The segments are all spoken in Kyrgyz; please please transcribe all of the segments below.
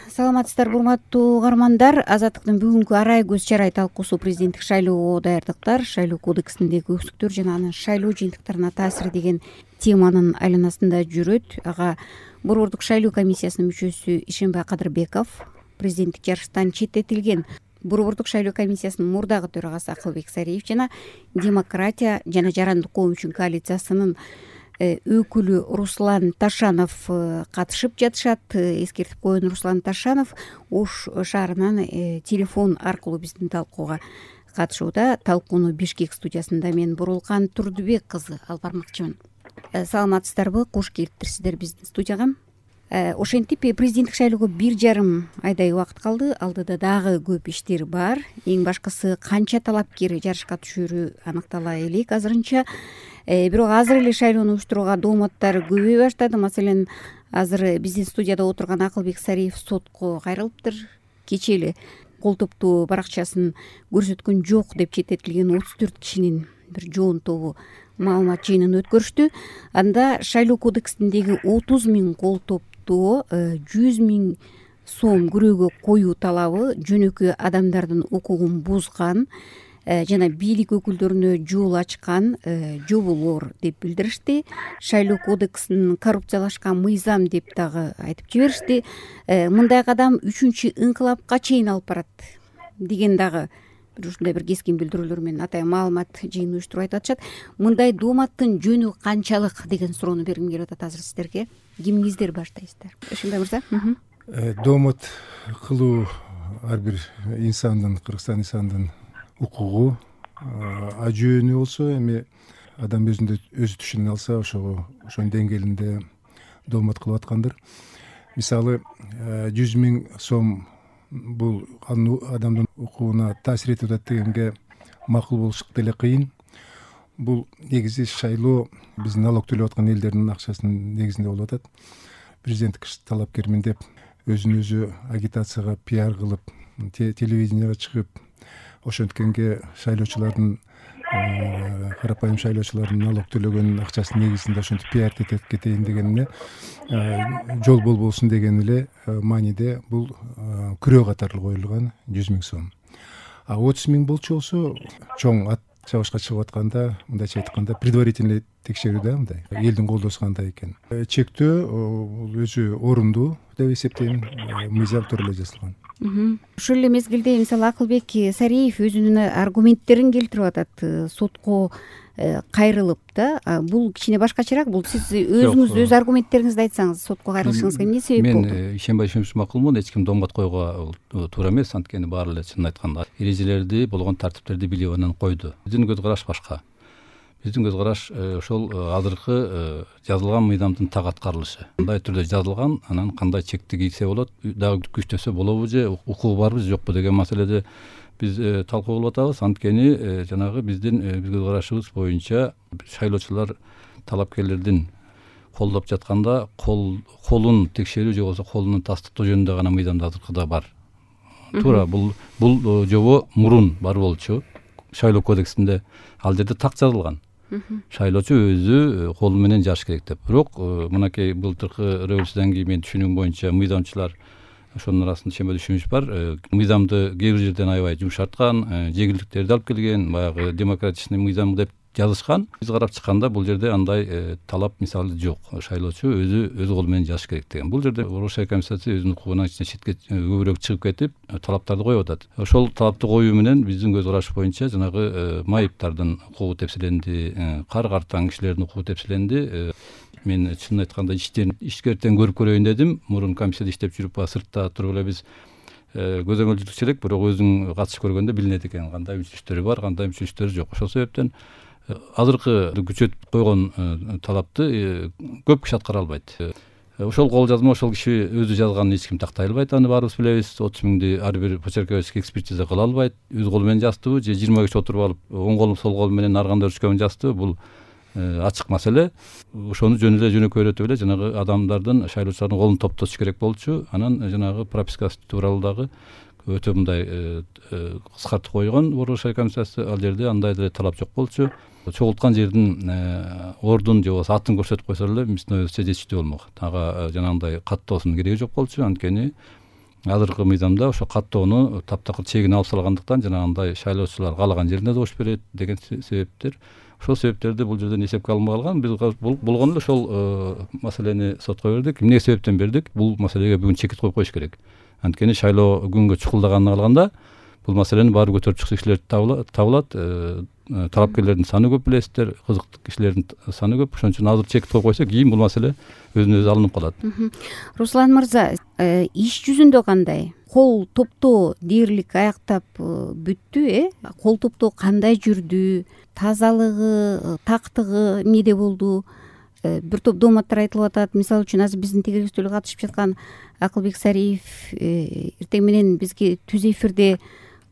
Саламатсыздарбы урматтуу угармандар. Азаттыктын бүгүнкү арай көз чарай талкуусу президенттик шайлоого даярдыктар, шайлоо кодексиндеги өксүктөр жана анын шайлоо жыйынтыктарына таасири деген теманын айланасында жүрөт. Ага Борбордук шайлоо комиссиясынын мүчөсү Ишенбай Кадырбеков, президенттик жарыштан четтетилген Борбордук шайлоо комиссиясынын мурдагы төрагасы Акылбек Сариев жана Демократия жана Жарандык коом үчүн коалициясынын өкүлү Руслан Ташанов катышып жатышат. Эскертип коеюн, Руслан Ташанов Ош шаарынан телефон аркылуу биздин талкууга катышууда. Талкууну Бишкек студиясында мен Бурулкан Турдубек кызы алып бармакчымын. Саламатсыздарбы, кош келиптирсиздер биздин студияга. Ошентип президенттик шайлоого 1,5 айдай убакыт калды. Алдыда дагы көп иштер бар. Эң башкысы канча талапкер жарышка түшөрү аныктала элек азырынча. Бирок азыр эле шайлоону уюштурууга дооматтар көбөйө баштады. Маселен, азыр биздин студияда отурган Акылбек Сариев сотко кайрылыптыр. Кечээ эле кол топтуу баракчасын көрсөткөн жок деп четтетилген 34 кишинин бир жоон тобу маалымат жыйынын өткөрүштү. Анда шайлоо кодексиндеги 30 000 кол топтоо 100 000 сом күрөөгө коюу талабы жөнөкөй адамдардын укугун бузган жана бийлик өкүлдөрүнө жол ачкан жоболор деп билдиришти. Шайлоо кодексин коррупциялашкан мыйзам деп дагы айтып жиберишти. Мындай кадам 3-чү ыңкылапка чейин алып барат деген дагы ушундай бир кескин билдирүүлөр менен атайын маалымат жыйын уюштуруп айтып атышат. Мындай дооматтын жөнү канчалык деген суроону бергим келип атат азыр сиздерге. Кимиңиздер баштайсыздар? Ишенбай мырза. Доомат кылуу ар бир инсандын, Кыргызстан инсанынын укугу. Жөнү болсо эми адам өзү түшүнө алса ошонун деңгээлинде доомат кылып аткандыр. Мисалы 100 000 сом бул адамдын укугуна таасир этип атат дегенге макул болуш деле кыйын. Бул негизи шайлоо биздин налог төлөп аткан элдердин акчасынын негизинде болуп атат. Президенттик талапкермин деп өзүн өзү агитацияга пиар кылып, телевиденияга чыгып, ошенткенге шайлоочулардын карапайым шайлоочулардын налог төлөгөн акчасынын негизинде ошентип пиар кетейин дегенине жол болбосун деген эле мааниде бул күрөө катары коюлган 100 000 сом. 30 000 болчу болсо чоң ат чабышка чыгып атканда, мындайча айтканда, предварительный текшерүү да, мындай элдин колдоосу кандай экен. Чектөө өзү орундуу деп эсептейм, мыйзам тууралуу жазылган. Ушул эле мезгилде мисалы Акылбек Сариев өзүнүн аргументтерин келтирип атат. Сотко кайрылып да, бул кичине башкачараак. Бул сиз өзүңүз өз аргументтериңизди айтсаңыз, сотко кайрылышыңызга эмне себеп болду? Мен Ишенбай макулмун, эч ким доомат коюуга туура эмес. Анткени баары эле чынын айтканда эрежелерди, болгон тартиптерди билип анан койду. Биздин көз караш башка. Биздин көз караш ошол азыркы жазылган мыйзамдын так аткарылышы. Кандай түрдө жазылган, анан кандай чекти кийсе болот, дагы күчтөсө болобу же, укугу барбы же жокпу деген маселеде биз талкуу кылып атабыз. Анткени жанагы биздин көз карашыбыз боюнча шайлоочулар талапкерлердин колдоп жатканда колун текшерүү же болбосо колунун тастыктоо жөнүндө гана мыйзамда азыркыда бар. Туура бул жобо мурун бар болчу. Шайлоо кодексинде ал жерде так жазылган. Шайлоочу өзү колу менен жазыш керек деп. Бирок мынакей былтыркы революциядан кийин мен түшүнүгүм боюнча мыйзамчылар ошонун арасында чемbe түшүнүш бар. Мыйзамды кээ бир жерден аябай жумшарткан, жеңилдиктерди алып келген, баягы демократичный мыйзам деп жазышкан. Биз карап чыкканда бул жерде андай талап мисалы жок. Шайлоочу өз колу менен жазыш керек деген. Бул жерде Борбордук шайлоо комиссиясы өзүнүн укугунан четке көбүрөөк чыгып кетип, талаптарды коюп атат. Ошол талапты коюу менен биздин көз караш боюнча жанагы майыптардын укугу тепселенди, кар картан кишилердин укугу тепселенди. Мен чынын айтканда ишкертен көрүп көрөйүн дедим. Мурун комиссияда иштеп жүрүп, сыртта туруп эле биз көзөмөлчүлүкчү элек, бирок өзүң катышып көргөндө билинет экен кандай мүчөчтөрү бар, кандай мүчөчтөрү жок. Ошол себептен азыркы күчөтүп койгон талапты көп киши аткара албайт. Ошол кол жазма ошол киши өзү жазганын эч ким тактай албайт. Аны баарыбыз билебиз. 30 000 ар бир почерковый экспертиза кыла албайт. Өз колу менен жаздыбы же 20 киши отуруп алып, оң колу сол колу менен ар кандай ручка менен жаздыбы, бул ачык маселе. Ошону жөн эле жөнөкөйрөтүп эле жанагы адамдардын, шайлоочулардын колун топтотуш керек болчу. Анан жанагы пропискасы тууралуу дагы өтө мындай кыскартып койгон Борбордук шайлоо комиссиясы. Ал жерде андай деле талап жок болчу. Чогулткан жердин ордун же болбосо атын көрсөтүп койсо эле биздин оюбузча жетиштүү болмок. Ага жанагындай каттоосунун кереги жок болчу. Анткени азыркы мыйзамда ошо каттоону таптакыр чегин алып салгандыктан жанагындай шайлоочулар каалаган жерине добуш берет деген себептер, ошол себептерди бул жерден эсепке алынбай калган. Биз болгону эле ошол маселени сотко бердик. Эмне себептен бердик? Бул маселеге бүгүн чекит коюп коюш керек. Анткени шайлоо күнгө чукулдаганын алганда бул маселени баары көтөрүп чыкчу кишилер табылат. Талапкерлердин саны көп, билесиздер, кызыктуу кишилердин саны көп. Ошон үчүн азыр чекит коюп койсок, кийин бул маселе өзүнөн өзү алынып калат. Руслан мырза, иш жүзүндө кандай? Кол топтоо дээрлик аяктап бүттү, Кол топтоо кандай жүрдү? Тазалыгы, тактыгы эмнеде болду? Бир топ дооматтар айтылып атат. Мисалы үчүн азыр биздин тегерестөөлгө катышып жаткан Акылбек Сариев эртең менен бизге түз эфирде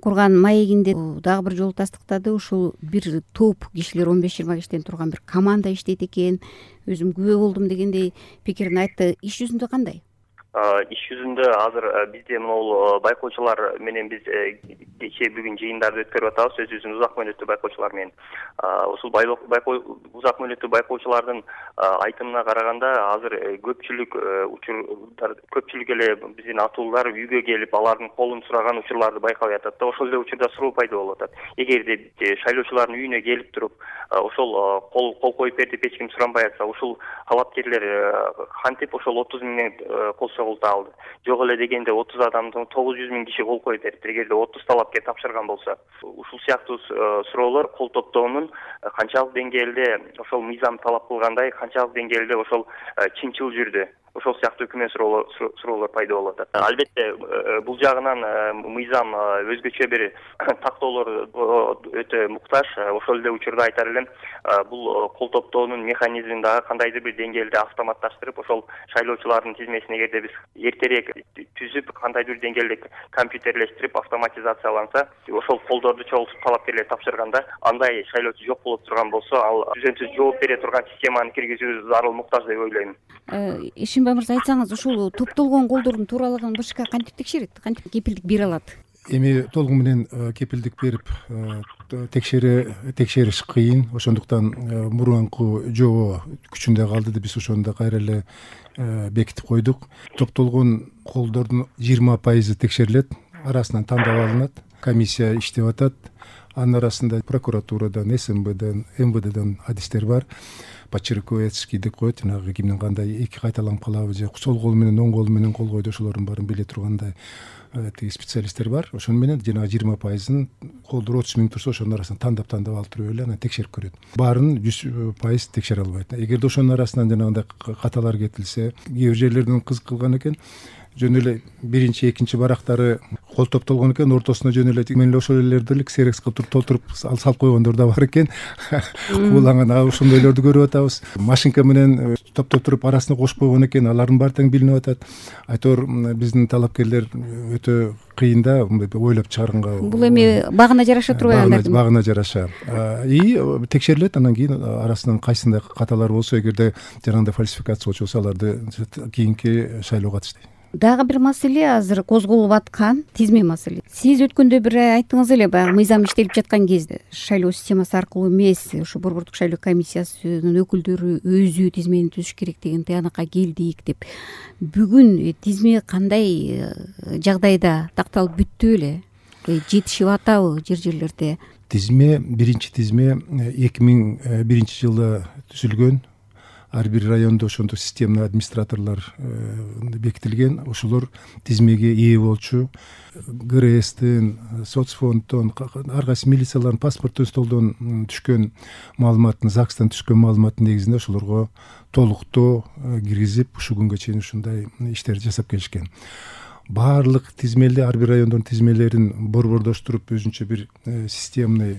курган маегинде дагы бир жолу тастыктады. Ушул бир топ кишилер 15-20 кишиден турган бир команда иштейт экен. Өзүм күбө болдум дегендей пикирин айтты. Иш жүзүндө кандай? Иш жүзүндө азыр бизде могул байкоочулар менен биз кечээ бүгүн жыйындарды өткөрүп атабыз өзүбүздүн узак мөөнөттүү байкоочулар менен. Ушул узак мөөнөттүү байкоочулардын айтымына караганда азыр көпчүлүк учурлар, көпчүлүк эле биздин атуулар үйгө келип алардын колун сураган учурларды байкабай атат да. Ошол эле учурда суроо пайда болуп атат. Эгерде шайлоочулардын үйүнө келип туруп ошол кол коюп бер деп эч ким суранбай атса, ушул талапкерлер кантип ошол 30 миңден кол согулта алды? Жок эле дегенде 30 адамдын 900 миң киши кол коюп берипти. Эгерде 30 талапкер тапшырган болсо, ушул сыяктуу суроолор кол топтоонун канчалык деңгээлде ошол мыйзам талап кылгандай, канчалык деңгээлде ошол чынчыл жүрдү? Ошол сыяктуу күмөн суроолор пайда болуп атат. Албетте, бул жагынан мыйзам өзгөчө бир тактоолор өтө муктаж. Ошол эле учурда айтар элем, бул кол топтоонун механизмин дагы кандайдыр бир деңгээлде автоматташтырып, ошол шайлоочулардын тизмесин эгерде биз эртерээк түзүп, кандайдыр бир деңгээлде компьютерлештирип, автоматизацияланса, ошол колдорду чогултуп талапкерлер тапшырганда, андай шайлоочу жок болуп турган болсо, ал түзөтүү жооп бере турган системаны киргизүү зарыл муктаж деп ойлойм. Ишимбай мырза, айтсаңыз, ушул топтолгон колдордун тууралыгын БШК кантип текшерет? Кантип кепилдик бере алат? Эми толугу менен кепилдик берип текшериш кыйын. Ошондуктан мурунку жобо күчүндө калды деп биз ошону да кайра эле бекитип койдук. Топтолгон колдордун 20% текшерилет, арасынан тандап алынат, комиссия иштеп атат. Анын арасында прокуратурадан, СМБден, МВДден адистер бар. Почерковецкий деп коет, жанагы кимдин кандай эки кайталанып калабы же сол кол менен оң кол менен кол койду, ошолордун баарын биле тургандай специалисттер бар. Ошону менен жанагы 20%-ын колдор 30 миң турса, ошонун арасынан тандап алып туруп эле анан текшерип көрөт. Баарын 100% текшере албайт. Эгерде ошонун арасынан жанагындай каталар кетилсе, кээ бир жерлерден кызык кылган экен, жөн эле биринчи, экинчи барактары кол топтолгон экен, ортосуна жөн эле мен эле ошол элерди эле ксерекс кылып толтуруп салып койгондор да бар экен. Кууланган ошондойлорду көрүп атабыз. Машинка менен топтоп туруп арасына кошуп койгон экен, алардын баары тең билинип атат. Айтор биздин талапкерлер өтө кыйын да ойлоп чыгарганга. Бул эми багына жараша турбайбы? Багына жараша. Текшерилет, анан кийин арасынан кайсындай каталар болсо, эгерде жанагындай фальсификация болчу болсо, аларды кийинки шайлоого катыштайт. Дагы бир маселе азыр козголуп аткан тизме маселе. Сиз өткөндө бир айттыңыз эле, баягы мыйзам иштелип жаткан кезде шайлоо системасы аркылуу эмес, ушу борбордук шайлоо комиссиясынын өкүлдөрү өзү тизмени түзүш керек деген тыянакка келдик деп. Бүгүн тизме кандай жагдайда такталып бүттү эле? Жетишип атабы жерлерде? Тизме, биринчи тизме 2001 жылда түзүлгөн. Ар бир райондо ошондо системный администраторлор бекитилген. Ошолор тизмеге ээ болчу. ГРСтен, соцфонддон, ар кайсы милициялардын паспорттуу столдон түшкөн маалыматтын, ЗАГСтан түшкөн маалыматтын негизинде ошолорго толуктоо киргизип, ушул күнгө чейин ушундай иштерди жасап келишкен. Баардык тизмелер, ар бир райондун тизмелерин борбордоштуруп, өзүнчө бир системный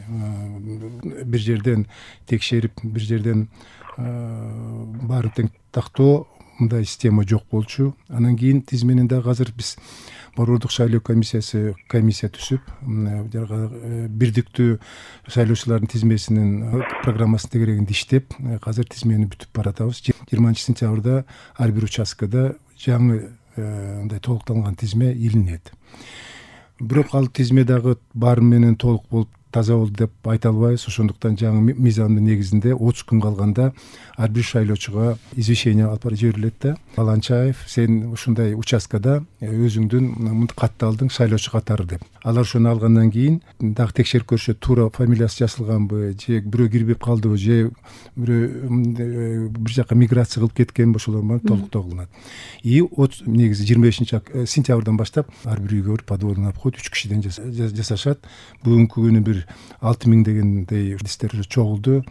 бир жерден текшерип, бир жерден баарын тең тактоо, мындай система жок болчу. Анан кийин тизменин дагы азыр биз борбордук шайлоо комиссия түзүп, бирдиктүү шайлоочулардын тизмесинин программасын тегерегинде иштеп, азыр тизмени бүтүп баратабыз. 20-сентябрда ар бир участкада жаңы мындай толукталган тизме илинет. Бирок ал тизме дагы баары менен толук болуп таза болду деп айта албайбыз. Ошондуктан жаңы мыйзамдын негизинде 30 күн калганда ар бир шайлоочуга извещение алып жиберилет да. Баланчаев, сен ушундай участкада өзүңдүн катталдың шайлоочу катары деп. Алар ошону алгандан кийин дагы текшерип көрүшөт, туура фамилиясы жазылганбы, же бирөө кирбеп калдыбы, же бирөө бир жака миграция кылып кеткенби, ошолор менен толуктоо кылынат. И негизи 25 сентябрдан баштап ар бир үйгө подводный обход 3 кишиден жасашат. Бүгүнкү күнү бир 6000 дегендей листтер чогулду.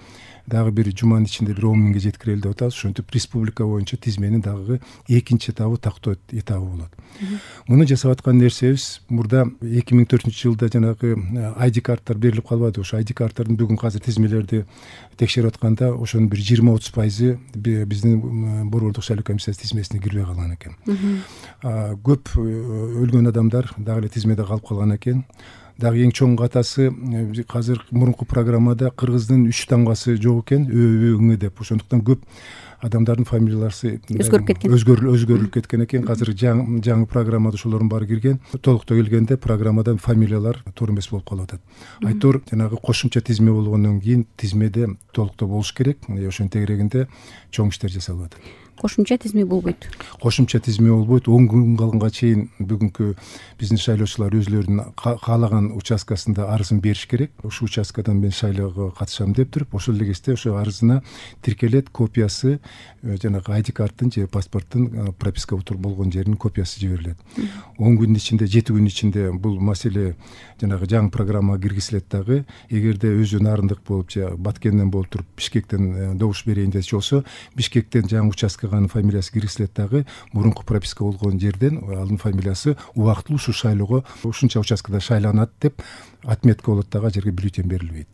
Дагы бир жуманын ичинде бир 10 000ге жеткирели деп атабыз. Ошентип республика боюнча тизменин дагы экинчи этабы тактоо этабы болот. Муну жасап аткан нерсебиз мурда 2004-жылда жанагы ID карттар берилип калбады. Ошо ID карттардын бүгүн азыр тизмелерди текшерип атканда ошонун бир 20-30% биздин борбордук шайлоо комиссиясы тизмесине кирбей калган экен. Көп өлгөн адамдар дагы эле тизмеде калып калган экен. Дагы эң чоң катасы азыр мурунку программада кыргыздын 3 тамгасы жок экен, ыңы деп. Ошондуктан көп адамдардын фамилиялары өзгөрүлүп кеткен экен. Азыр жаңы программада ошолордун баары кирген. Толуктоо келгенде программадан фамилиялар туура эмес болуп калып атат. Айтор жанагы кошумча тизме болгондон кийин тизмеде толуктоо болуш керек. Ошонун тегерегинде чоң иштер жасалып атат. Кошумча тизме болбойт. Кошумча тизме болбойт. 10 күн калганга чейин бүгүнкү биздин шайлоочулар өзлөрүнүн каалаган участкасында арызын бериш керек. Ушул участкадан мен шайлоого катышам деп туруп, ошол эле кезде ошо арызына тиркелет копиясы, жанагы ID карттын же паспорттун прописка болгон жеринин копиясы жиберилет. 10 күндүн ичинде, 7 күн ичинде бул маселе жанагы жаңы программага киргизилет дагы. Эгерде өзү нарындык болуп же Баткенден болуп туруп Бишкектен добуш берейин десе болсо, Бишкектен жаңы участкага фамилиясы киргизилет дагы. Мурунку прописка болгон жерден анын фамилиясы убактылуу ушу шайлоого ушунча участкада шайланат деп отметка болот дагы, жерге бюллетень берилбейт.